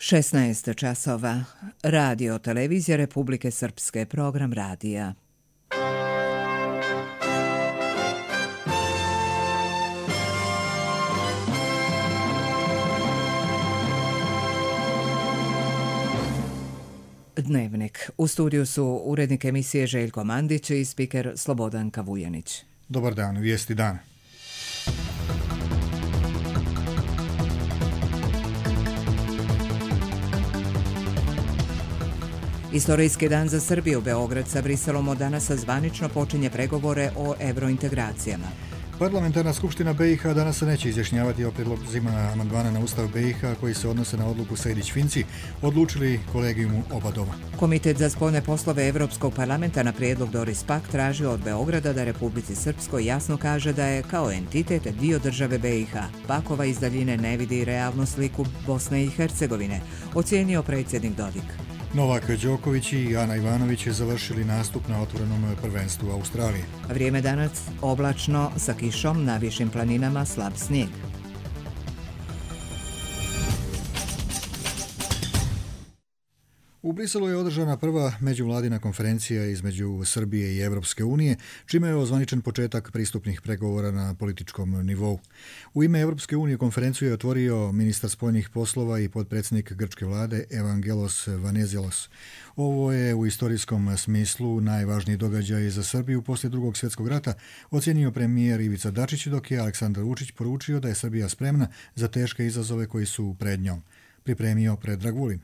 16 časova. Radio Televizija Republike Srpske, program radija. Dnevnik. U studiju su urednik emisije Željko Mandić i spiker Slobodanka Vujanić. Dobar dan, vijesti dana. Istorijski dan za Srbiju. Beograd sa Briselom od danas zvanično počinje pregovore o evrointegracijama. Parlamentarna skupština BiH danas se neće izjašnjavati o prijedlozima amandmana na Ustav BiH koji se odnose na odluku Sejdić-Finci, odlučili kolegijumu oba doma. Komitet za spoljne poslove Evropskog parlamenta na prijedlog Doris Pack traži od Beograda da Republici Srpskoj jasno kaže da je kao entitet dio države BiH. Pakova iz daljine ne vidi realnu sliku Bosne i Hercegovine, ocijenio predsjednik Dodik. Novak Đoković i Ana Ivanović završili nastup na otvorenom prvenstvu Australije. Vrijeme danas oblačno sa kišom, na višim planinama slab snijeg. U Briselu je održana prva međuvladina konferencija između Srbije i Evropske unije, čime je ozvaničen početak pristupnih pregovora na političkom nivou. U ime Evropske unije konferenciju je otvorio ministar spoljnih poslova i potpredsjednik grčke vlade Evangelos Venizelos. Ovo je u istorijskom smislu najvažniji događaj za Srbiju poslije Drugog svjetskog rata, ocijenio premijer Ivica Dačić, dok je Aleksandar Vučić poručio da je Srbija spremna za teške izazove koji su pred njom. Pripremio Predrag Vulin.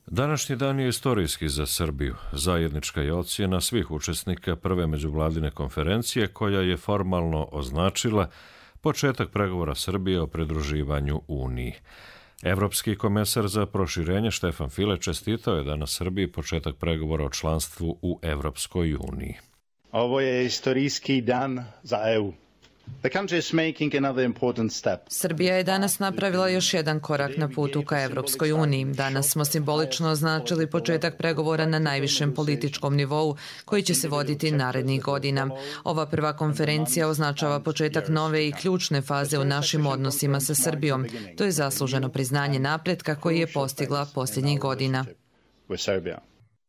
Današnji dan je istorijski za Srbiju. Zajednička je ocjena svih učesnika prve međuvladine konferencije koja je formalno označila početak pregovora Srbije o pridruživanju Uniji. Evropski komesar za proširenje Štefan File čestitao je danas Srbiji početak pregovora o članstvu u Evropskoj uniji. Ovo je istorijski dan za EU. Srbija je danas napravila još jedan korak na putu ka Evropskoj uniji. Danas smo simbolično označili početak pregovora na najvišem političkom nivou koji će se voditi narednih godina. Ova prva konferencija označava početak nove i ključne faze u našim odnosima sa Srbijom. To je zasluženo priznanje napretka koji je postigla posljednjih godina.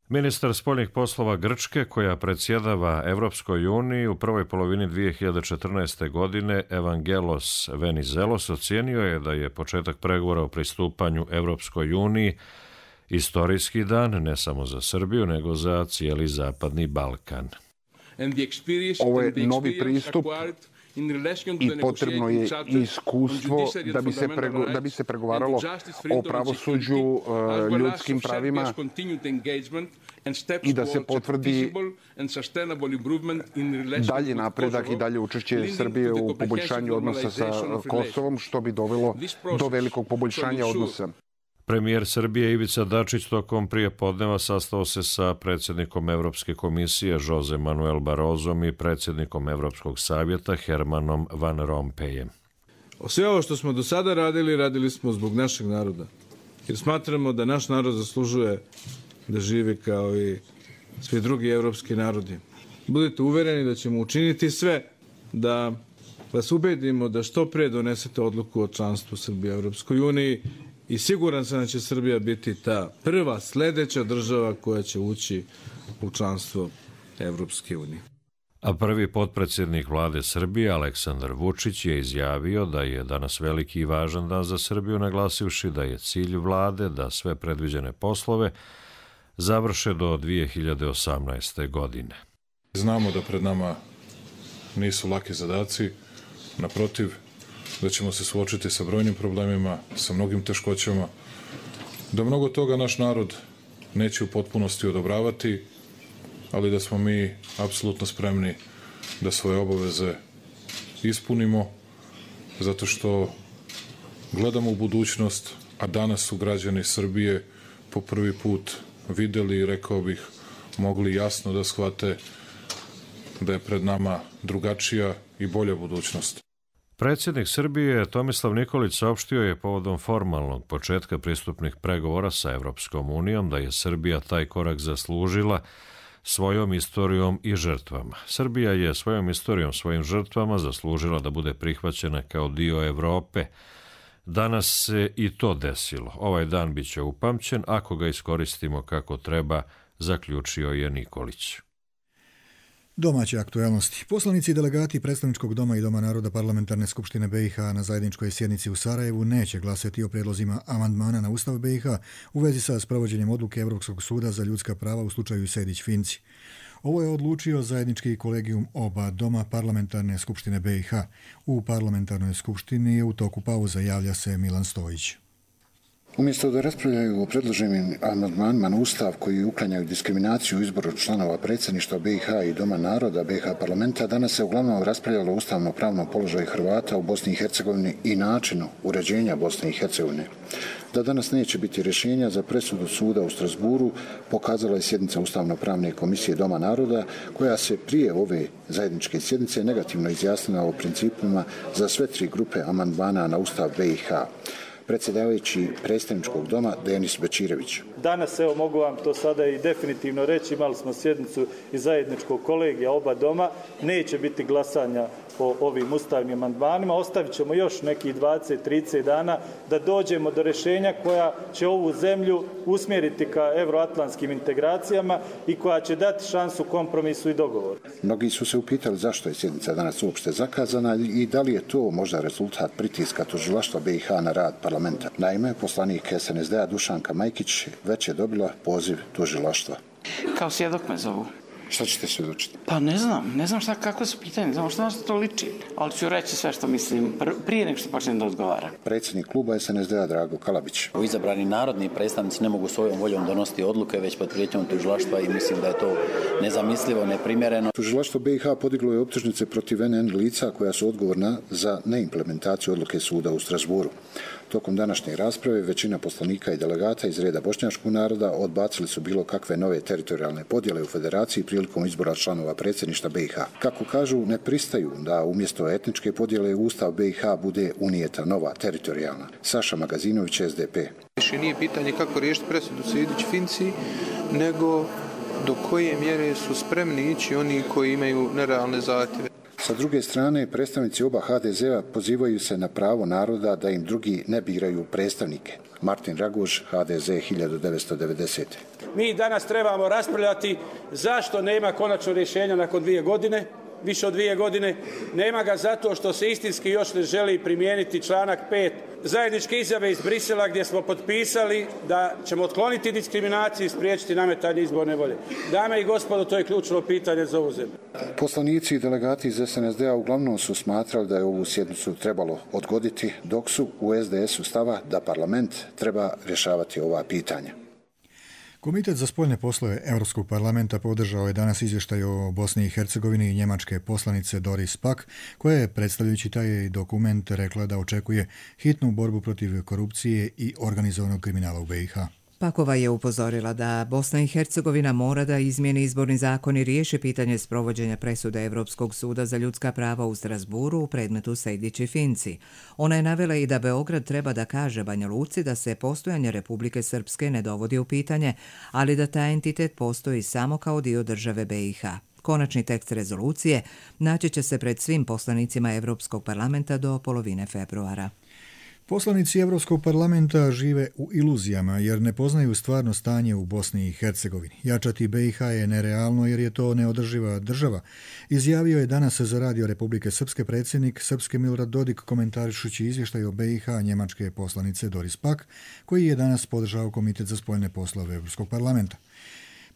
Ministar spoljnih poslova Grčke, koja predsjedava Evropskoj uniji u prvoj polovini 2014. godine, Evangelos Venizelos, ocijenio je da je početak pregovora o pristupanju Evropskoj uniji istorijski dan ne samo za Srbiju, nego za cijeli Zapadni Balkan. Ovo je novi pristup i potrebno je iskustvo da bi se pregovaralo o pravosuđu, ljudskim pravima i da se potvrdi dalji napredak i dalje učešće Srbije u poboljšanju odnosa sa Kosovom, što bi dovelo do velikog poboljšanja odnosa. Premijer Srbije Ivica Dačić tokom prijepodneva sastao se sa predsjednikom Evropske komisije Jose Manuel Barrosom i predsjednikom Evropskog savjeta Hermanom Van Rompuyem. Sve ovo što smo do sada radili smo zbog našeg naroda. Jer smatramo da naš narod zaslužuje da živi kao i svi drugi evropski narodi. Budite uvereni da ćemo učiniti sve da vas ubedimo da što pre donesete odluku o članstvu Srbije u Evropskoj uniji. I siguran sam da će Srbija biti ta prva sljedeća država koja će ući u članstvo Evropske unije. A prvi potpredsjednik vlade Srbije, Aleksandar Vučić, je izjavio da je danas veliki i važan dan za Srbiju, naglasivši da je cilj vlade da sve predviđene poslove završe do 2018. godine. Znamo da pred nama nisu laki zadaci, naprotiv, da ćemo se suočiti sa brojnim problemima, sa mnogim teškoćama, da mnogo toga naš narod neće u potpunosti odobravati, ali da smo mi apsolutno spremni da svoje obaveze ispunimo, zato što gledamo u budućnost, a danas su građani Srbije po prvi put videli i, rekao bih, mogli jasno da shvate da je pred nama drugačija i bolja budućnost. Predsjednik Srbije Tomislav Nikolić saopštio je povodom formalnog početka pristupnih pregovora sa Evropskom unijom da je Srbija taj korak zaslužila svojom istorijom i žrtvama. Srbija je svojom istorijom, svojim žrtvama zaslužila da bude prihvaćena kao dio Evrope, Danas se i to desilo. Ovaj dan bit će upamćen ako ga iskoristimo kako treba, zaključio je Nikolić. Domaće aktualnosti. Poslanici i delegati Predstavničkog doma i Doma naroda Parlamentarne skupštine BiH na zajedničkoj sjednici u Sarajevu neće glasati o prijedlozima amandmana na Ustav BiH u vezi sa sprovođenjem odluke Europskog suda za ljudska prava u slučaju Sejdić-Finci. Ovo je odlučio zajednički kolegijum oba doma Parlamentarne skupštine BiH. U Parlamentarnoj skupštini je u toku pauza, javlja se Milan Stojić. Umjesto da raspravljaju o predloženim amandmanima na Ustav koji uklanjaju diskriminaciju u izboru članova predsjedništva BiH i Doma naroda BiH parlamenta, danas se uglavnom raspravljalo o ustavno-pravnom položaju Hrvata u Bosni i Hercegovini i načinu uređenja Bosne i Hercegovine. Da danas neće biti rješenja za presudu suda u Strasburu pokazala je sjednica Ustavno-pravne komisije Doma naroda, koja se prije ove zajedničke sjednice negativno izjasnila o principima za sve tri grupe amandmana na Ustav BiH. Predsjedavajući Predstavničkog doma Denis Bečirević. Danas, evo mogu vam to sada i definitivno reći, imali smo sjednicu iz zajedničkog kolegija oba doma, neće biti glasanja po ovim ustavnim amandmanima, ostavit ćemo još nekih 20-30 dana da dođemo do rješenja koja će ovu zemlju usmjeriti ka euroatlantskim integracijama i koja će dati šansu kompromisu i dogovoru. Mnogi su se upitali zašto je sjednica danas uopšte zakazana i da li je to možda rezultat pritiska tužilaštva BiH na rad parlamenta. Naime, poslanik SNSD-a Dušanka Majkić već je dobila poziv tužilaštva. Kao svjedok me zovu. Šta ćete svjedočiti? Pa ne znam kakve su pitanje, ne znam što nas to liči, ali ću reći sve što mislim prije nego što počnem da odgovaram. Predsjednik kluba SNSD-a Drago Kalabić. Izabrani narodni predstavnici ne mogu svojom voljom donositi odluke, već pod prijetnjom tužilaštva i mislim da je to nezamislivo, neprimjereno. Tužilaštvo BiH podiglo je optužnice protiv NN lica koja su odgovorna za neimplementaciju odluke suda u Strasburu. Tokom današnje rasprave većina poslanika i delegata iz reda bošnjačkog naroda odbacili su bilo kakve nove teritorijalne podjele u federaciji prilikom izbora članova predsjedništva BiH. Kako kažu, ne pristaju da umjesto etničke podjele u Ustav BiH bude unijeta nova teritorijalna. Saša Magazinović, SDP. Više nije pitanje kako riješiti presudu Sejdić-Finci, nego do koje mjere su spremni ići oni koji imaju nerealne zahtjeve. Sa druge strane, predstavnici oba HDZ-a pozivaju se na pravo naroda da im drugi ne biraju predstavnike. Martin Raguž, HDZ 1990. Mi danas trebamo raspravljati zašto nema konačno rješenja nakon 2 godine, više od 2 godine. Nema ga zato što se istinski još ne želi primijeniti članak 5 zajedničke izjave iz Brisela gdje smo potpisali da ćemo otkloniti diskriminaciju i spriječiti nametanje izborne volje. Dame i gospodo, to je ključno pitanje za ovu zemlju. Poslanici i delegati iz SNSD-a uglavnom su smatrali da je ovu sjednicu trebalo odgoditi, dok su u SDS-u stava da parlament treba rješavati ova pitanja. Komitet za spoljne poslove Europskog parlamenta podržao je danas izvještaj o Bosni i Hercegovini i njemačke poslanice Doris Pack, koja je, predstavljajući taj dokument, rekla da očekuje hitnu borbu protiv korupcije i organizovanog kriminala u BiH. Pakova je upozorila da Bosna i Hercegovina mora da izmijeni izborni zakon i riješi pitanje sprovođenja presude Europskog suda za ljudska prava u Strasburu u predmetu Sejdić i Finci. Ona je navela i da Beograd treba da kaže Banja Luci da se postojanje Republike Srpske ne dovodi u pitanje, ali da taj entitet postoji samo kao dio države BiH. Konačni tekst rezolucije naći će se pred svim poslanicima Europskog parlamenta do polovine februara. Poslanici Europskog parlamenta žive u iluzijama jer ne poznaju stvarno stanje u Bosni i Hercegovini. Jačati BiH je nerealno jer je to neodrživa država, izjavio je danas za Radio Republike Srpske predsjednik Srpske Milorad Dodik komentarišući izvještaj o BiH njemačke poslanice Doris Pack, koji je danas podržao Komitet za spoljne poslove Europskog parlamenta.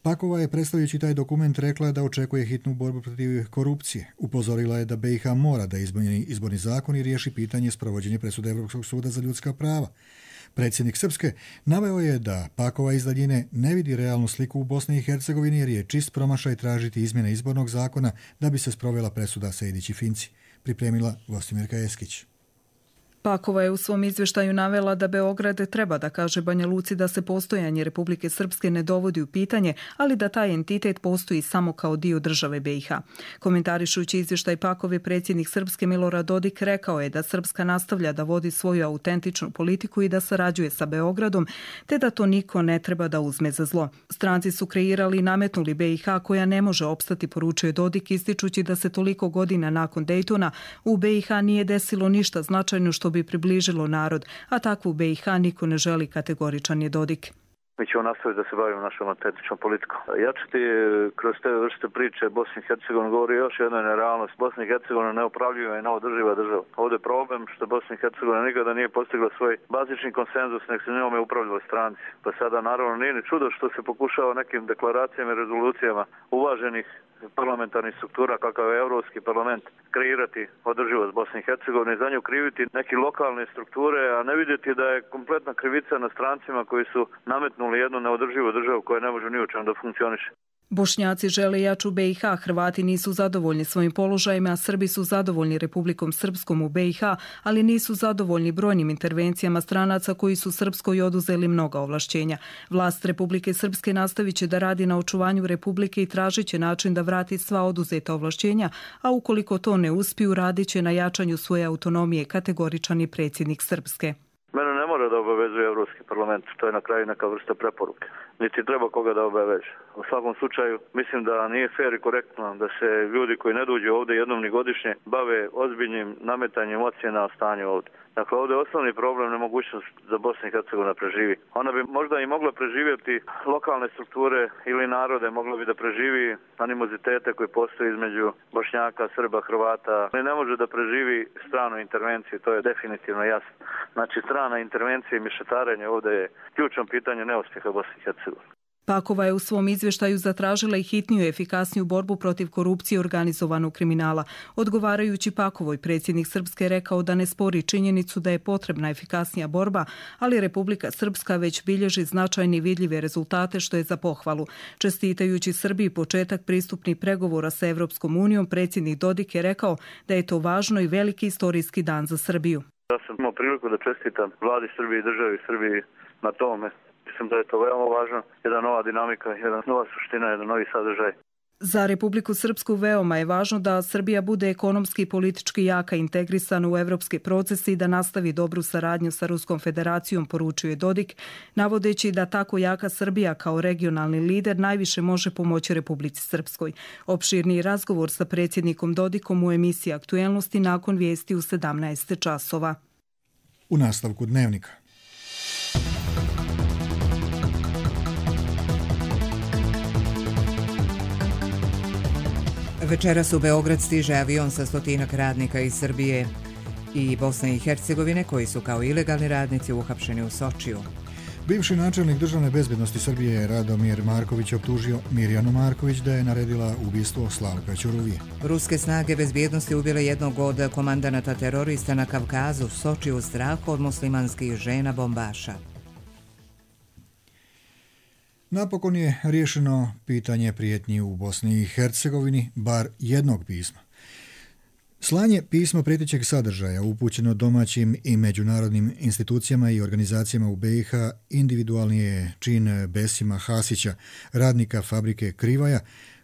Pakova je, predstavljajući taj dokument, rekla da očekuje hitnu borbu protiv korupcije. Upozorila je da BiH mora da izmijeni izborni zakon i riješi pitanje sprovođenja presude Europskog suda za ljudska prava. Predsjednik Srpske naveo je da Pakova iz daljine ne vidi realnu sliku u Bosni i Hercegovini jer je čist promašaj tražiti izmjene izbornog zakona da bi se sprovela presuda Sejdić i Finci. Pripremila Gostimirka Eskić. Pakova je u svom izvještaju navela da Beograd treba da kaže Banja Luci da se postojanje Republike Srpske ne dovodi u pitanje, ali da taj entitet postoji samo kao dio države BiH. Komentarišući izvještaj Pakove, predsjednik Srpske Milorad Dodik rekao je da Srpska nastavlja da vodi svoju autentičnu politiku i da sarađuje sa Beogradom, te da to niko ne treba da uzme za zlo. Stranci su kreirali i nametnuli BiH koja ne može opstati, poručuje Dodik, ističući da se toliko godina nakon Dejtona u BiH nije desilo ništa značajno što što bi približilo narod, a takvu BiH niko ne želi, kategoričan je Dodik. Mi ćemo nastaviti da se bavimo našom autentičnom politikom. Jačati kroz te vrste priče Bosni i Hercegovini govori još jedna nerealnost. Bosna i Hercegovina neopravljiva i neodrživa država. Ovdje je problem što Bosna i Hercegovina nikada nije postigla svoj bazični konsenzus, nek se njome upravljali stranci. Pa sada naravno nije ni čudo što se pokušava nekim deklaracijama i rezolucijama uvaženih parlamentarnih struktura kakav je Europski parlament kreirati održivost Bosne i Hercegovine i za nju kriviti neke lokalne strukture, a ne vidjeti da je kompletna krivica na strancima koji su nametnuli jednu neodrživu državu koja ne može ni u čemu da funkcioniše. Bošnjaci žele jaču BiH, Hrvati nisu zadovoljni svojim položajima, a Srbi su zadovoljni Republikom Srpskom u BiH, ali nisu zadovoljni brojnim intervencijama stranaca koji su Srpskoj oduzeli mnoga ovlašćenja. Vlast Republike Srpske nastavit će da radi na očuvanju Republike i tražit će način da vrati sva oduzeta ovlašćenja, a ukoliko to ne uspiju, radit će na jačanju svoje autonomije, kategoričan je predsjednik Srpske. Mene ne mora da obavezuje Europski parlament, to je na kraju neka vrsta preporuke. Niti treba koga da obaveže. U svakom slučaju mislim da nije fair i korektno da se ljudi koji ne dođu ovdje jednom ni godišnje bave ozbiljnim nametanjem ocjena o stanju ovdje. Dakle, ovdje je osnovni problem nemogućnost da Bosna i Hercegovina preživi. Ona bi možda i mogla preživjeti lokalne strukture ili narode, mogla bi da preživi animozitete koji postoje između Bošnjaka, Srba, Hrvata. Ne može da preživi stranu intervenciju, to je definitivno jasno. Znači, strana intervencija i mišetarenje ovdje je ključno pitanje neuspjeha Bosne i Hercegovine. Pakova je u svom izvještaju zatražila i hitniju i efikasniju borbu protiv korupcije i organizovanog kriminala. Odgovarajući Pakovoj, predsjednik Srpske rekao da ne spori činjenicu da je potrebna efikasnija borba, ali Republika Srpska već bilježi značajne i vidljive rezultate, što je za pohvalu. Čestitajući Srbiji početak pristupnih pregovora sa Evropskom unijom, predsjednik Dodik je rekao da je to važno i veliki istorijski dan za Srbiju. Ja sam imao priliku da čestitam vladi Srbije i državi Srbiji na tome. Mislim da je to veoma važno, jedna nova dinamika, jedna nova suština, jedan novi sadržaj. Za Republiku Srpsku veoma je važno da Srbija bude ekonomski i politički jaka, integrisana u evropske procese i da nastavi dobru saradnju sa Ruskom federacijom, poručuje Dodik, navodeći da tako jaka Srbija kao regionalni lider najviše može pomoći Republici Srpskoj. Opširniji razgovor sa predsjednikom Dodikom u emisiji Aktuelnosti nakon vijesti u 17 časova. U nastavku Dnevnika. Večeras u Beograd stiže avion sa 100 radnika iz Srbije i Bosne i Hercegovine koji su kao ilegalni radnici uhapšeni u Sočiju. Bivši načelnik državne bezbednosti Srbije Radomir Marković optužio Mirjanu Marković da je naredila ubistvo Slavka Ćuruvije. Ruske snage bezbjednosti ubile jednog od komandanata terorista na Kavkazu, Sočiju, u strahu od muslimanskih žena bombaša. Napokon je riješeno pitanje prijetnji u Bosni i Hercegovini, bar jednog pisma. Slanje pisma prijetećeg sadržaja upućeno domaćim i međunarodnim institucijama i organizacijama u BiH individualni je čin Besima Hasića, radnika fabrike Krivaja,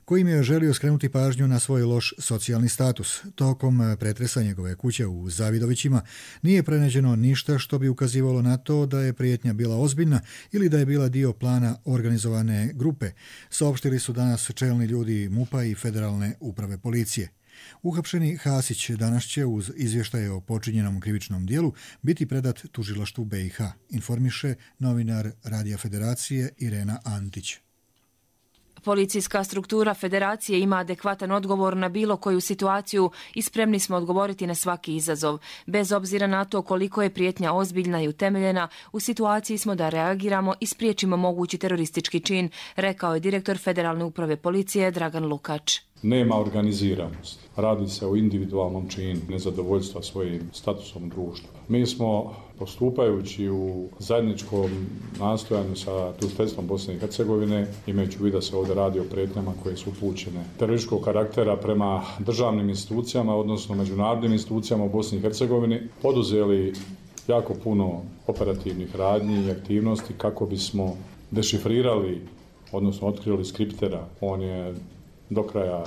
kojim je želio skrenuti pažnju na svoj loš socijalni status. Tokom pretresa njegove kuće u Zavidovićima nije pronađeno ništa što bi ukazivalo na to da je prijetnja bila ozbiljna ili da je bila dio plana organizovane grupe, saopštili su danas čelni ljudi MUP-a i Federalne uprave policije. Uhapšeni Hasić danas će uz izvještaje o počinjenom krivičnom dijelu biti predat tužilaštvu BiH, informiše novinar Radija Federacije Irena Antić. Policijska struktura Federacije ima adekvatan odgovor na bilo koju situaciju i spremni smo odgovoriti na svaki izazov. Bez obzira na to koliko je prijetnja ozbiljna i utemeljena, u situaciji smo da reagiramo i spriječimo mogući teroristički čin, rekao je direktor Federalne uprave policije Dragan Lukač. Nema organiziranost. Radi se o individualnom činu nezadovoljstva svojim statusom društva. Mi smo, postupajući u zajedničkom nastojanju sa tužiteljstvom Bosne i Hercegovine, imajući u vidu da se ovdje radi o prijetnjama koje su upućene terorističkog karaktera prema državnim institucijama, odnosno međunarodnim institucijama u Bosni i Hercegovini, poduzeli jako puno operativnih radnji i aktivnosti kako bismo dešifrirali, odnosno otkrili skriptera. On je do kraja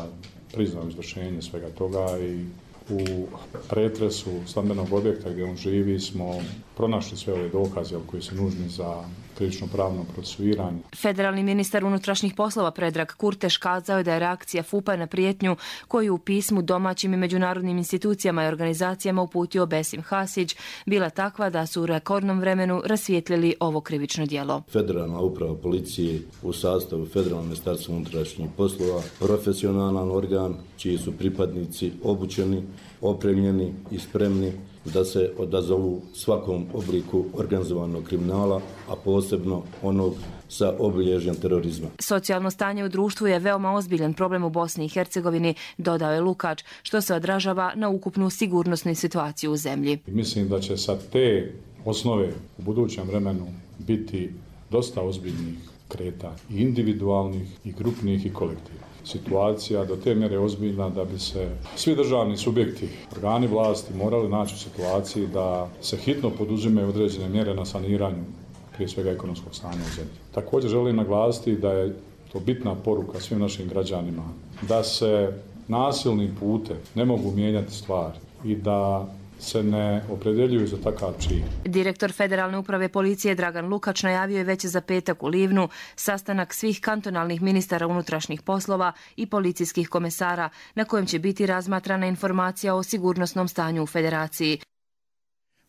priznao izvršenje svega toga i u pretresu stambenog objekta gdje on živi smo pronašli sve ove dokaze koji su nužni za krivično pravno procesuiranje. Federalni ministar unutrašnjih poslova Predrag Kurteš kazao je da je reakcija FUP-a na prijetnju koju u pismu domaćim i međunarodnim institucijama i organizacijama uputio Besim Hasić bila takva da su u rekordnom vremenu rasvijetlili ovo krivično djelo. Federalna uprava policije u sastavu Federalnog ministarstva unutrašnjih poslova, profesionalan organ čiji su pripadnici obučeni, opremljeni i spremni da se odazovu svakom obliku organizovanog kriminala, a posebno onog sa obilježjem terorizma. Socijalno stanje u društvu je veoma ozbiljan problem u Bosni i Hercegovini, dodao je Lukač, što se odražava na ukupnu sigurnosnu situaciju u zemlji. Mislim da će sa te osnove u budućem vremenu biti dosta ozbiljnih kretanja, i individualnih, i grupnih, i kolektivnih. Situacija do te mjere ozbiljna da bi se svi državni subjekti, organi vlasti morali naći u situaciji da se hitno poduzimaju određene mjere na saniranju prije svega ekonomskog stanja u zemlji. Također želim naglasiti da je to bitna poruka svim našim građanima da se nasilnim putem ne mogu mijenjati stvari i da se ne opredjeljuju za takav čin. Direktor Federalne uprave policije Dragan Lukač najavio je već za petak u Livnu sastanak svih kantonalnih ministara unutrašnjih poslova i policijskih komesara na kojem će biti razmatrana informacija o sigurnosnom stanju u Federaciji.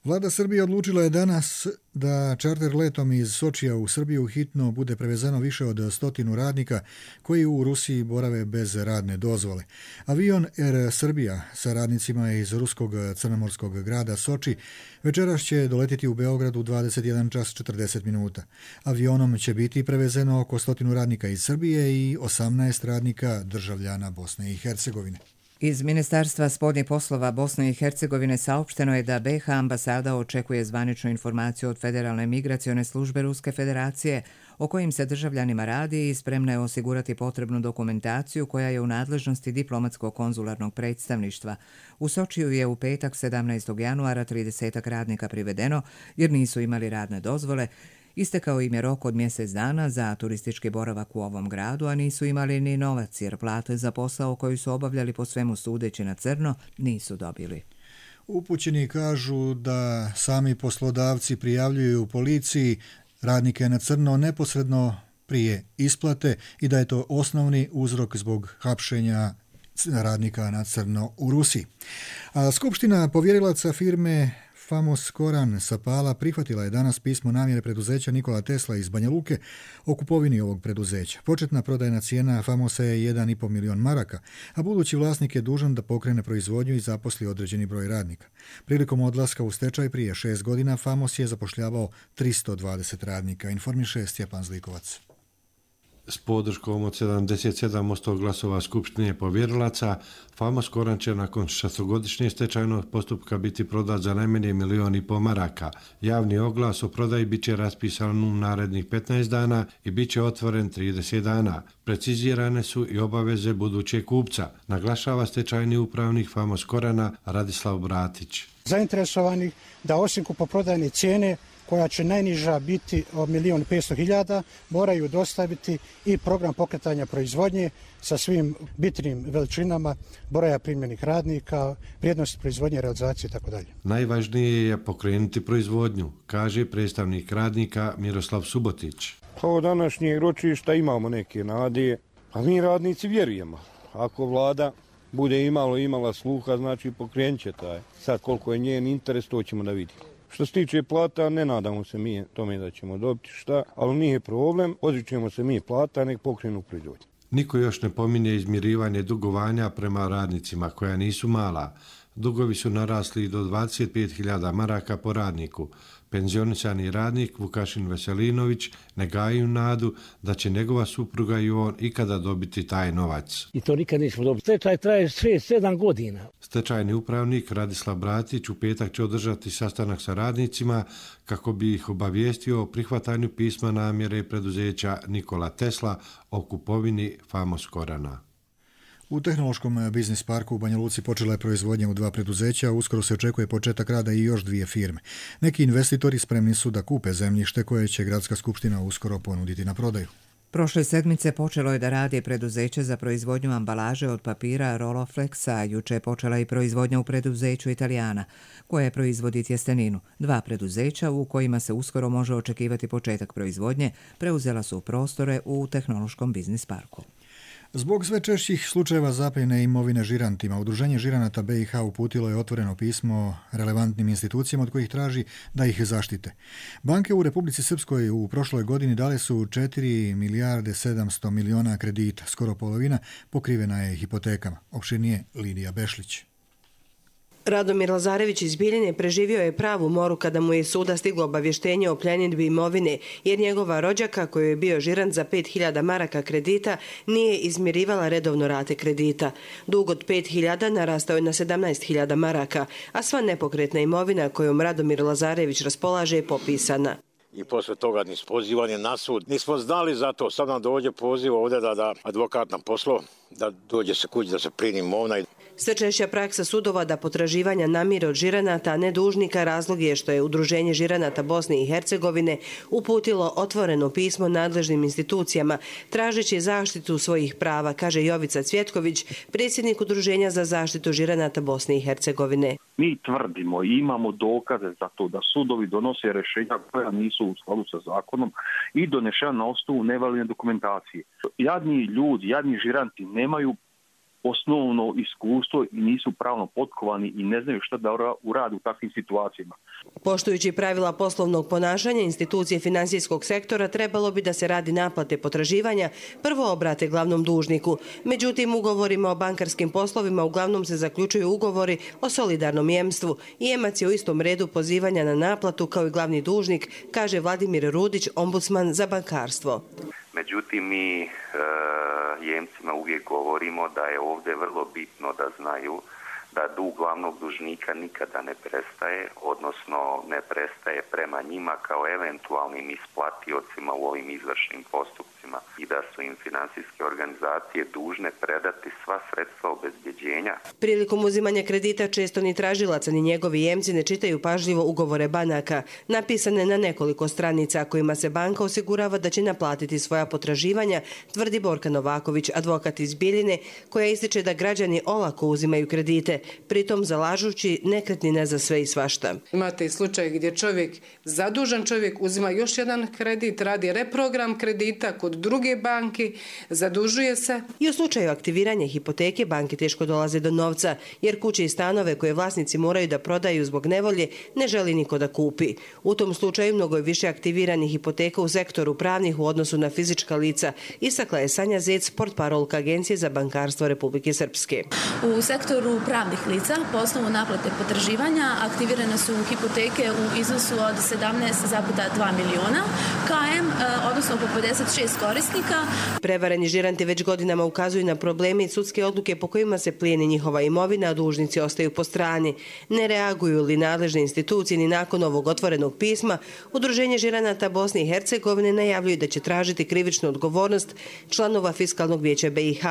Vlada Srbije odlučila je danas da čarter letom iz Sočija u Srbiju hitno bude prevezeno više od 100 radnika koji u Rusiji borave bez radne dozvole. Avion Air Srbija sa radnicima iz ruskog crnomorskog grada Soči večeras će doletiti u Beograd u 21 čas 40 minuta. Avionom će biti prevezeno oko 100 radnika iz Srbije i 18 radnika državljana Bosne i Hercegovine. Iz Ministarstva spoljnih poslova Bosne i Hercegovine saopšteno je da BiH ambasada očekuje zvaničnu informaciju od Federalne migracione službe Ruske federacije o kojim se državljanima radi i spremna je osigurati potrebnu dokumentaciju koja je u nadležnosti diplomatskog konzularnog predstavništva. U Sočiju je u petak 17. januara 30 radnika privedeno jer nisu imali radne dozvole. Istekao im je rok od mjesec dana za turistički boravak u ovom gradu, a nisu imali ni novac jer plate za posao koji su obavljali po svemu sudeći na crno nisu dobili. Upućeni kažu da sami poslodavci prijavljuju policiji radnike na crno neposredno prije isplate i da je to osnovni uzrok zbog hapšenja radnika na crno u Rusiji. A Skupština povjerilaca firme Famos Koran sa Pala prihvatila je danas pismo namjere preduzeća Nikola Tesla iz Banja Luke o kupovini ovog preduzeća. Početna prodajna cijena Famosa je 1,5 milion maraka, a budući vlasnik je dužan da pokrene proizvodnju i zaposli određeni broj radnika. Prilikom odlaska u stečaj prije 6 godina Famos je zapošljavao 320 radnika, informiše Stjepan Zlikovac. S podrškom od 77% glasova Skupštine povjerilaca, Famos Koran će nakon 6-godišnjeg stečajnog postupka biti prodat za najmanje 1,5 miliona maraka. Javni oglas o prodaji bit će raspisan u narednih 15 dana i bit će otvoren 30 dana. Precizirane su i obaveze budućeg kupca, naglašava stečajni upravnik Famos Korana Radislav Bratić. Zainteresovanih da osim kupoprodajne cijene koja će najniža biti od 1.500.000, moraju dostaviti i program pokretanja proizvodnje sa svim bitnim veličinama, broja primljenih radnika, vrijednosti proizvodnje, realizacije itd. Najvažnije je pokrenuti proizvodnju, kaže predstavnik radnika Miroslav Subotić. Od današnjeg ročišta imamo neke nade, a mi radnici vjerujemo. Ako vlada bude imala sluha, znači pokrenut će taj. Sad koliko je njen interes, to ćemo da vidimo. Što se tiče plata, ne nadamo se mi tome da ćemo dobiti šta, ali nije problem, odričemo se mi plata, nek pokrenu proizvodnju. Niko još ne pominje izmirivanje dugovanja prema radnicima koja nisu mala. Dugovi su narasli do 25.000 maraka po radniku. Penzionisani radnik Vukašin Veselinović ne gaji nadu da će njegova supruga i on ikada dobiti taj novac. I to nikad nismo dobiti. Stečaj traje 6-7 godina. Stečajni upravnik Radislav Bratić u petak će održati sastanak sa radnicima kako bi ih obavijestio o prihvatanju pisma namjere preduzeća Nikola Tesla o kupovini Famos Korana. U tehnološkom biznis parku u Banja Luci počela je proizvodnja u 2 preduzeća, uskoro se očekuje početak rada i još 2 firme. Neki investitori spremni su da kupe zemljište koje će Gradska skupština uskoro ponuditi na prodaju. Prošle sedmice počelo je da radi preduzeće za proizvodnju ambalaže od papira Roloflex, a juče je počela i proizvodnja u preduzeću Italijana, koje proizvodi tjesteninu. 2 preduzeća u kojima se uskoro može očekivati početak proizvodnje preuzela su prostore u Tehnološkom biznis parku. Zbog sve češćih slučajeva zapljene imovine žirantima, Udruženje žiranata BiH uputilo je otvoreno pismo relevantnim institucijama od kojih traži da ih zaštite. Banke u Republici Srpskoj u prošloj godini dale su 4 milijarde 700 miliona kredita, skoro polovina pokrivena je hipotekama. Opširnije Lidija Bešlić. Radomir Lazarević iz Biljine preživio je pravu moru kada mu je suda stiglo obavještenje o pljenidbi imovine, jer njegova rođaka, koju je bio žirant za 5.000 maraka kredita, nije izmirivala redovno rate kredita. Dug od 5.000 narastao je na 17.000 maraka, a sva nepokretna imovina kojom Radomir Lazarević raspolaže je popisana. I posle toga nismo pozivani na sud. Nismo znali za to. Sad nam dođe poziv ovdje da advokat nam poslao, da dođe se kući da se plini imovina. Sve češća praksa sudova da potraživanja namire od žiranata, a ne dužnika, razlog je što je Udruženje žiranata Bosne i Hercegovine uputilo otvoreno pismo nadležnim institucijama tražeći zaštitu svojih prava, kaže Jovica Cvjetković, predsjednik Udruženja za zaštitu žiranata Bosne i Hercegovine. Mi tvrdimo i imamo dokaze za to da sudovi donose rješenja koja nisu u skladu sa zakonom i donešena na osnovu nevalidne dokumentacije. Jadni ljudi, jadni žiranti nemaju osnovno iskustvo i nisu pravno potkovani i ne znaju šta da urade u takvim situacijama. Poštujući pravila poslovnog ponašanja, institucije finansijskog sektora trebalo bi da se radi naplate potraživanja prvo obrate glavnom dužniku. Međutim, ugovorima o bankarskim poslovima uglavnom se zaključuju ugovori o solidarnom jemstvu i jemac je u istom redu pozivanja na naplatu kao i glavni dužnik, kaže Vladimir Rudić, ombudsman za bankarstvo. Međutim, mi jemcima uvijek govorimo da je ovdje vrlo bitno da znaju da dug glavnog dužnika nikada ne prestaje, odnosno ne prestaje prema njima kao eventualnim isplatiocima u ovim izvršnim postupcima i da su im financijske organizacije dužne predati sva sredstva obezbjeđenja. Prilikom uzimanja kredita često ni tražilaca ni njegovi jemci ne čitaju pažljivo ugovore banaka, napisane na nekoliko stranica kojima se banka osigurava da će naplatiti svoja potraživanja, tvrdi Borka Novaković, advokat iz Biljine, koja ističe da građani olako uzimaju kredite, pritom zalažući nekretnine za sve i svašta. Imate i slučaj gdje zadužan čovjek uzima još jedan kredit, radi reprogram kredita kod druge banke, zadužuje se. I u slučaju aktiviranja hipoteke banke teško dolaze do novca, jer kuće i stanove koje vlasnici moraju da prodaju zbog nevolje ne želi niko da kupi. U tom slučaju mnogo je više aktiviranih hipoteka u sektoru pravnih u odnosu na fizička lica, istakla je Sanja Zec, portparolka Agencije za bankarstvo Republike Srpske. U sektoru pravnih lica po osnovu naplate potraživanja aktivirane su hipoteke u iznosu od 17,2 miliona KM, odnosno po 56 korisnika. Prevareni žiranti već godinama ukazuju na probleme i sudske odluke po kojima se plijeni njihova imovina, a dužnici ostaju po strani. Ne reaguju li nadležne institucije ni nakon ovog otvorenog pisma, Udruženje žiranata Bosne i Hercegovine najavljuju da će tražiti krivičnu odgovornost članova Fiskalnog vijeća BiH,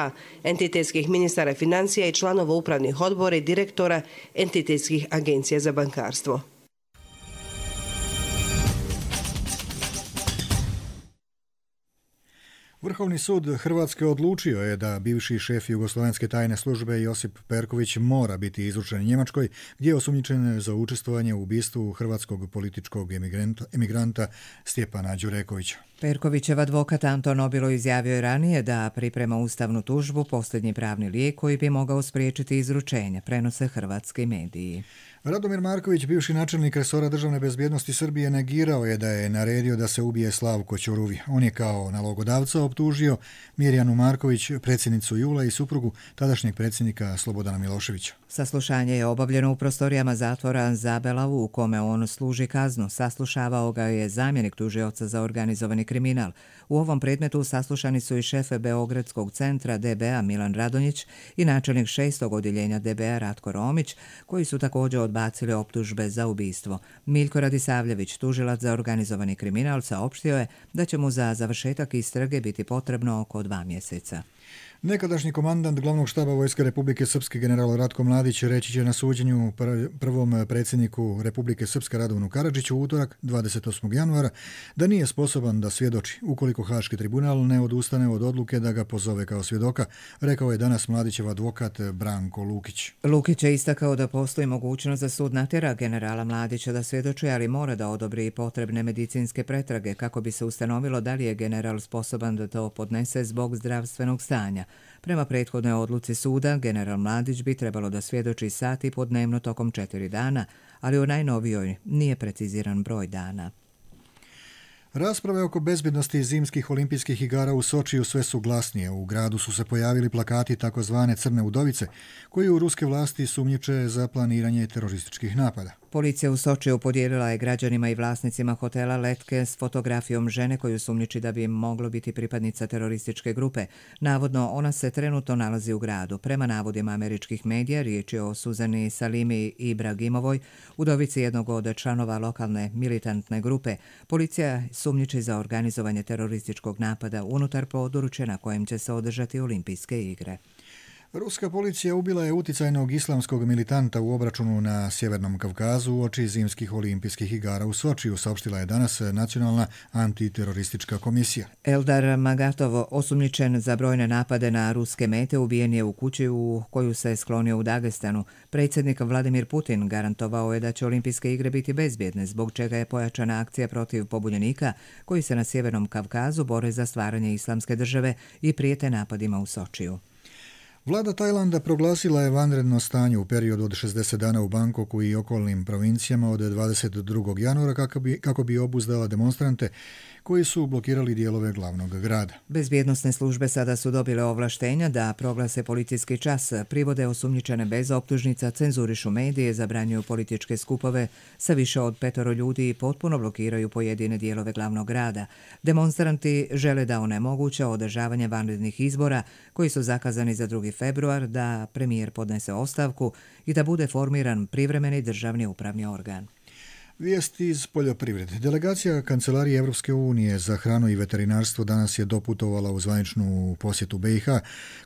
entitetskih ministara financija i članova upravnih odbora i direktora entitetskih agencija za bankarstvo. Vrhovni sud Hrvatske odlučio je da bivši šef Jugoslovenske tajne službe Josip Perković mora biti izručen Njemačkoj, gdje je osumnjičen za učestvovanje u ubistvu hrvatskog političkog emigranta Stjepana Đurekovića. Perkovićev advokat Anton Obilo izjavio je ranije da priprema ustavnu tužbu, posljednji pravni lijek koji bi mogao spriječiti izručenje, prenose hrvatski mediji. Radomir Marković, bivši načelnik resora državne bezbjednosti Srbije, negirao je da je naredio da se ubije Slavko Ćoruvi. On je kao nalogodavca optužio Mirjanu Marković, predsjednicu Jula i suprugu tadašnjeg predsjednika Slobodana Miloševića. Saslušanje je obavljeno u prostorijama zatvora Zabelavu u kome on služi kaznu. Saslušavao ga je zamjenik tužioca za organizovani kriminal. U ovom predmetu saslušani su i šef Beogradskog centra DBA Milan Radonjić i načelnik 6. odjeljenja DBA Ratko Romić, koji su također odbacili optužbe za ubistvo. Miljko Radisavljević, tužilac za organizovani kriminal, saopštio je da će mu za završetak istrage biti potrebno oko 2 mjeseca. Nekadašnji komandant glavnog štaba Vojske Republike Srpske general Ratko Mladić reći će na suđenju prvom predsjedniku Republike Srpske Radovanu Karadžiću u utorak 28. januara da nije sposoban da svjedoči ukoliko Haški tribunal ne odustane od odluke da ga pozove kao svjedoka, rekao je danas Mladićev advokat Branko Lukić. Lukić je istakao da postoji mogućnost da sud natjera generala Mladića da svjedoči, ali mora da odobri i potrebne medicinske pretrage kako bi se ustanovilo da li je general sposoban da to podnese zbog zdravstvenog stanja. Prema prethodnoj odluci suda, general Mladić bi trebalo da svjedoči sat i po dnevno tokom 4 dana, ali u najnovijoj nije preciziran broj dana. Rasprave oko bezbjednosti zimskih olimpijskih igara u Sočiju sve su glasnije. U gradu su se pojavili plakati takozvane Crne udovice, koji u ruske vlasti sumnjiče za planiranje terorističkih napada. Policija u Sočiju podijelila je građanima i vlasnicima hotela letke s fotografijom žene koju sumnjiči da bi moglo biti pripadnica terorističke grupe. Navodno, ona se trenutno nalazi u gradu. Prema navodima američkih medija, riječ je o Suzani Salimi Ibragimovoj, udovici jednog od članova lokalne militantne grupe. Policija sumnjiči za organizovanje terorističkog napada unutar područja na kojem će se održati olimpijske igre. Ruska policija ubila je uticajnog islamskog militanta u obračunu na Sjevernom Kavkazu uoči zimskih olimpijskih igara u Sočiju, saopštila je danas Nacionalna antiteroristička komisija. Eldar Magatov, osumnjičen za brojne napade na ruske mete, ubijen je u kući u koju se sklonio u Dagestanu. Predsjednik Vladimir Putin garantovao je da će olimpijske igre biti bezbjedne, zbog čega je pojačana akcija protiv pobunjenika koji se na Sjevernom Kavkazu bore za stvaranje islamske države i prijete napadima u Sočiju. Vlada Tajlanda proglasila je vanredno stanje u periodu od 60 dana u Bangkoku i okolnim provincijama od 22. januara kako bi obuzdala demonstrante koji su blokirali dijelove glavnog grada. Bezbjednosne službe sada su dobile ovlaštenja da proglase policijski čas, privode osumnjičene bez optužnica, cenzurišu medije, zabranjuju političke skupove sa više od 5 ljudi i potpuno blokiraju pojedine dijelove glavnog grada. Demonstranti žele da onemoguće održavanje vanrednih izbora koji su zakazani za 2. februar, da premijer podnese ostavku i da bude formiran privremeni državni upravni organ. Vijesti iz poljoprivrede. Delegacija Kancelarije Evropske unije za hranu i veterinarstvo danas je doputovala u zvaničnu posjetu BiH,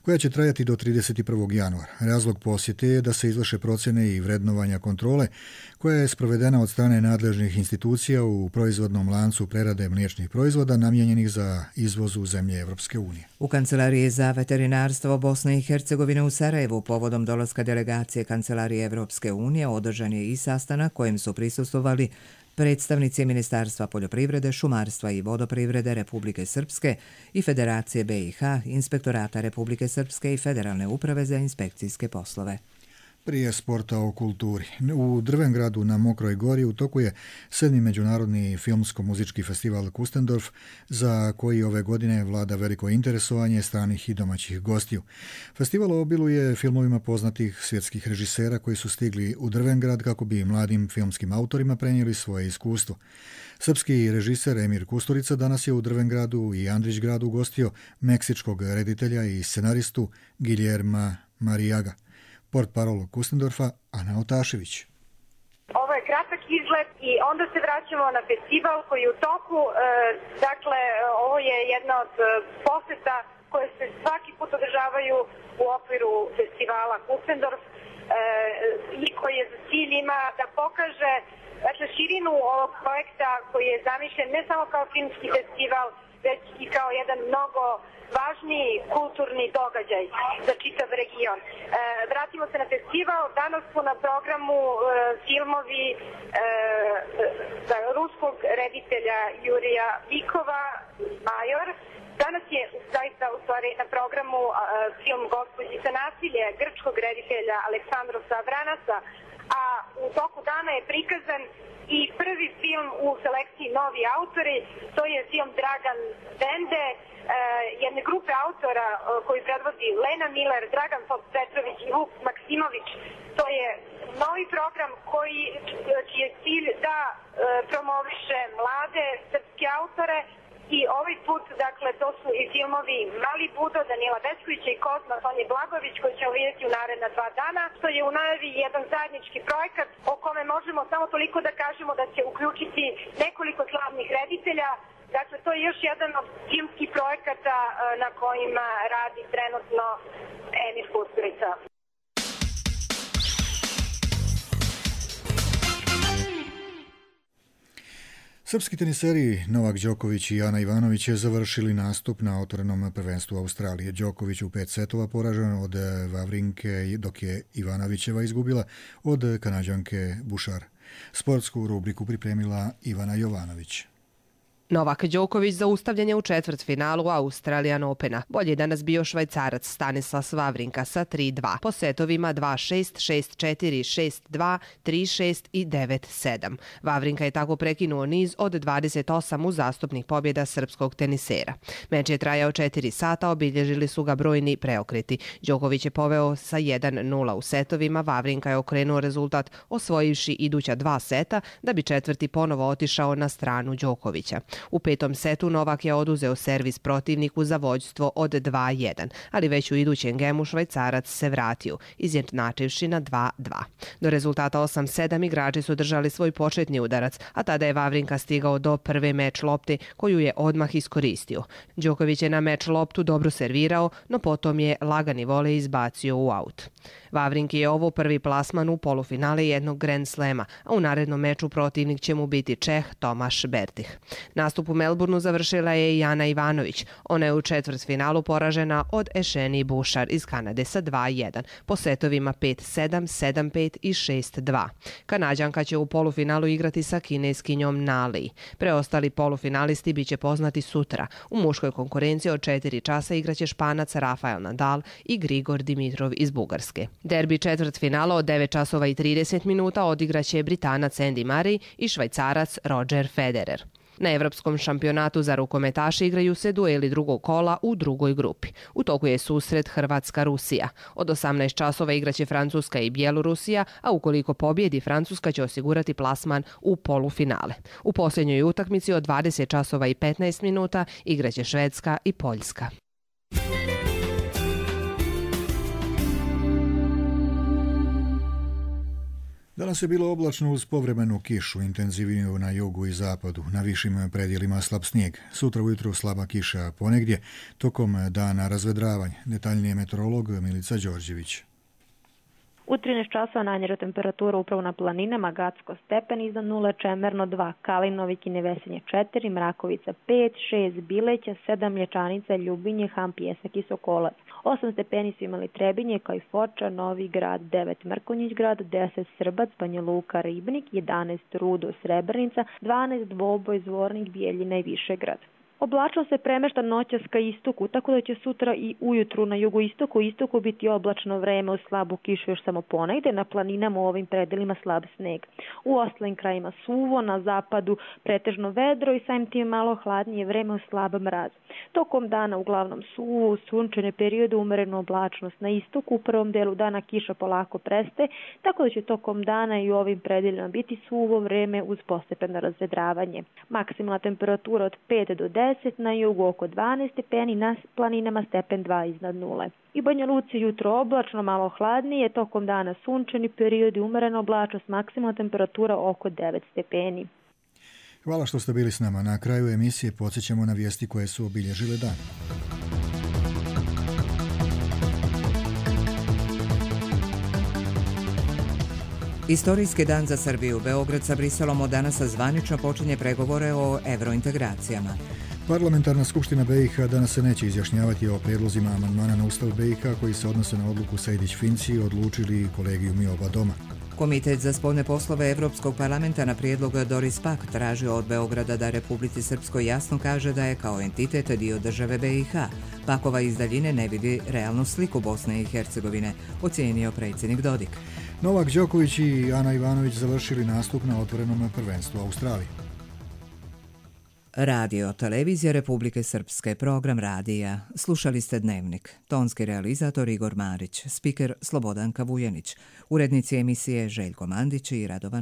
koja će trajati do 31. januara. Razlog posjete je da se izvrše procjene i vrednovanja kontrole, koja je sprovedena od strane nadležnih institucija u proizvodnom lancu prerade mliječnih proizvoda namijenjenih za izvoz u zemlje Evropske unije. U Kancelariji za veterinarstvo Bosne i Hercegovine u Sarajevu povodom dolaska delegacije Kancelarije Evropske unije održan je i sastanak kojem su prisustvovali predstavnici Ministarstva poljoprivrede, šumarstva i vodoprivrede Republike Srpske i Federacije BiH, Inspektorata Republike Srpske i Federalne uprave za inspekcijske poslove. Prije sporta o kulturi. U Drvengradu na Mokroj gori u toku je 7. međunarodni filmsko-muzički festival Kustendorf, za koji ove godine vlada veliko interesovanje stranih i domaćih gostiju. Festival obiluje filmovima poznatih svjetskih režisera koji su stigli u Drvengrad kako bi mladim filmskim autorima prenijeli svoje iskustvo. Srpski režiser Emir Kusturica danas je u Drvengradu i Andrićgradu gostio meksičkog reditelja i scenaristu Guillerma Marijaga. Portparol Kustendorfa Ana Otašević. Ovo je kratak izlet i onda se vraćamo na festival koji je u toku. Dakle, ovo je jedna od poseta koje se svaki put održavaju u okviru festivala Kustendorf i koji je za cilj ima da pokaže širinu ovog projekta koji je zamišljen ne samo kao filmski festival, već i kao jedan mnogo važniji kulturni događaj za čitav region. Vratimo se na festival. Danas su na programu filmovi ruskog reditelja Jurija Vikova, Major. Danas je zaista u stvari na programu film Gospođica nasilje grčkog reditelja Aleksandrosa Vranasa, a u toku dana je prikazan i prvi film u selekciji Novi autori, to je film Dragan Bende, jedne grupe autora koji predvodi Lena Miller, Dragan Petrović i Vuk Maksimović. To je novi program čiji je cilj da promoviše mlade srpske autore. I ovaj put, dakle, to su i filmovi Mali Budo, Danila Beskovića i Kozma Sonje Blagović, koji ćemo vidjeti u naredna 2 dana. To je u najavi jedan zajednički projekat o kome možemo samo toliko da kažemo da će uključiti nekoliko slavnih reditelja, Dakle, to je još jedan od timskih projekata na kojima radi trenutno Emir Kusturica. Srpski teniseri Novak Đoković i Ana Ivanović je završili nastup na otvorenom prvenstvu Australije. Đoković u 5 setova poražen od Vavrinke, dok je Ivanovićeva izgubila od Kanađanke Bušar. Sportsku rubriku pripremila Ivana Jovanović. Novak Đoković zaustavljen je u četvrtfinalu Australian Opena. Bolje je danas bio Švajcarac Stanislas Vavrinka sa 3-2. Po setovima 2-6, 6-4, 6-2, 3-6 i 9-7. Vavrinka je tako prekinuo niz od 28 uzastopnih pobjeda srpskog tenisera. Meč je trajao 4 sata, obilježili su ga brojni preokreti. Đoković je poveo sa 1-0 u setovima, Vavrinka je okrenuo rezultat osvojivši iduća 2 seta, da bi četvrti ponovo otišao na stranu Đokovića. U 5. setu Novak je oduzeo servis protivniku za vođstvo od 2-1, ali već u idućem gemu Švajcarac se vratio, izjednačivši na 2-2. Do rezultata 8-7 igrači su držali svoj početni udarac, a tada je Vavrinka stigao do prve meč lopte koju je odmah iskoristio. Đoković je na meč loptu dobro servirao, no potom je lagani volej izbacio u aut. Vavrinki je ovo prvi plasman u polufinale jednog Grand Slema, a u narednom meču protivnik će mu biti Čeh Tomaš Berdych. Nastup u Melbourneu završila je i Ana Ivanović. Ona je u četvrtfinalu poražena od Ešeni Bušar iz Kanade sa 2-1, po setovima 5-7, 7-5 i 6-2. Kanađanka će u polufinalu igrati sa kineskinjom Nali. Preostali polufinalisti biće poznati sutra. U muškoj konkurenciji od 4 časa igraće Španac Rafael Nadal i Grigor Dimitrov iz Bugarske. Derbi četvrtfinala od 9 časova i 30 minuta odigraće Britanac Andy Murray i Švajcarac Roger Federer. Na Evropskom šampionatu za rukometaše igraju se dueli drugog kola u drugoj grupi. U toku je susret Hrvatska-Rusija. Od 18 časova igraće Francuska i Bjelorusija, a ukoliko pobjedi Francuska će osigurati plasman u polufinale. U posljednjoj utakmici od 20 časova i 15 minuta igraće Švedska i Poljska. Danas je bilo oblačno uz povremenu kišu, intenzivniju na jugu i zapadu, na višim predjelima slab snijeg. Sutra ujutro slaba kiša, ponegdje tokom dana razvedravanje. Detaljnije meteorolog Milica Đorđević. U 13 časova najniža temperatura upravo na planinama, Gacko stepen iznad 0, Čemerno 2, Kalinovik i Nevesinje 4, Mrakovica 5, 6, Bileća, 7, Mlječanica, Ljubinje, Ham, Pjesak i Sokolac. 8 stepeni su imali Trebinje, kao i Foča, Novi Grad, 9 Mrkonjić Grad, 10 Srbac, Banja Luka, Ribnik, 11 Rudo, Srebrenica, 12 Dvoboj, Zvornik, Bijeljina i Višegrad. Oblačno se premešta noćas ka istoku, tako da će sutra i ujutru na jugoistoku biti oblačno vreme uz slabu kišu još samo ponegde, na planinama u ovim predelima slab sneg. U ostalim krajima suvo, na zapadu pretežno vedro i samim tim malo hladnije vreme uz slab mraz. Tokom dana uglavnom suvo, sunčane periode, umerenu oblačnost na istoku, u prvom delu dana kiša polako prestaje, tako da će tokom dana i u ovim predelima biti suvo vreme uz postepeno razvedravanje. Maksimalna temperatura od 5 do 10, na jugu oko 12 stepeni, na planinama stepen 2 iznad 0. I Banja Luci jutro oblačno, malo hladnije, tokom dana sunčani periodi, umerena oblačnost, maksimalna temperatura oko 9 stepeni. Hvala što ste bili s nama. Na kraju emisije podsjećamo na vijesti koje su obilježile dan. Istorijski dan za Srbiju. Beograd sa Briselom od danas zvanično počinje pregovore o evrointegracijama. Parlamentarna skupština BiH danas se neće izjašnjavati o prijedlozima amandmana na Ustav BiH koji se odnose na odluku Sejdić-Finci, odlučili kolegijumi oba doma. Komitet za spoljne poslove Evropskog parlamenta na prijedlog Doris Pack tražio od Beograda da Republici Srpskoj jasno kaže da je kao entitet dio države BiH. Pakova iz daljine ne vidi realnu sliku Bosne i Hercegovine, ocijenio predsjednik Dodik. Novak Đoković i Ana Ivanović završili nastup na otvorenom prvenstvu Australije. Radio Televizija Republike Srpske, program radija. Slušali ste Dnevnik. Tonski realizator Igor Marić, spiker Slobodanka Vujanić, urednici emisije Željko Mandić i Radovan